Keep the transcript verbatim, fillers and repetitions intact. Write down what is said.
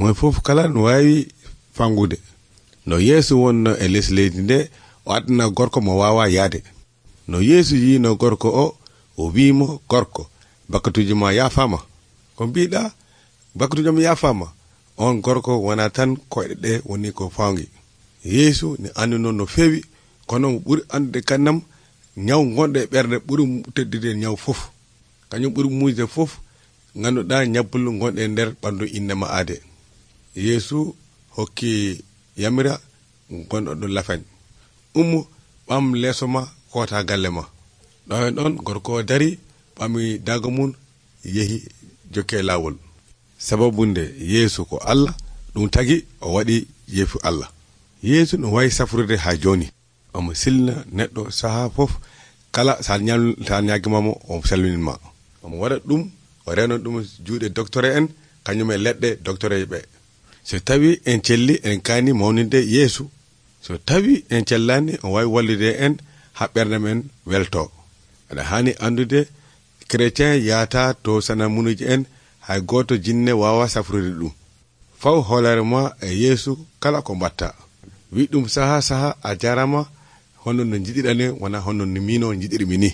moy fof kala no waawi fangude no Yeesu wonno e les leydi nde o adna gorko mo waawa yaade. No Yeesu yiino gorko o o wiimo, gorko bakkatuji ma yaafama. Ko mbiɗa bakkatujam yaafama. On gorko wona tan koyɗe ɗe woni ko faangi. Yeesu ne anduno no feewi, kono mo ɓuri andude kannam nyaw gonɗo e ɓerde ɓuri teddide nyaw fof. Kañum ɓuri muuyde fof ganduɗa nyabbulu gonɗe e nder ɓandu innema aade. Yeesu hokki yamira gonɗo ɗo lafañ, ummu ɓam leeso ma koota galle ma. ɗo hen ɗon gorko dari ɓami dago mum yehi jokke laawol. Sababu nde Yeesu ko Allah, ɗum tagi o waɗi yeefu Allah. Yeesu no wawi safrude ha joni, omo silna neɗɗo saha fof, kala sa nyal sa nyagimamo o salminima. Omo waɗa ɗum o reno ɗum juuɗe docteur en kañum e leɗɗe docteur ɓe. So tawi en celli en kaani mawninde Yeesu, so tawi en cellani o wawi wallude en ha ɓerde men welto. Aɗa hani andude chrétien yaata to sana munuji en hay goto jinne wawa safrude ɗum. Faw hoolare ma e Yeesu kala ko mbatta. Wi ɗum saha saha a jarama hono no jiɗiɗane wona hono no mino jiɗirmi ni.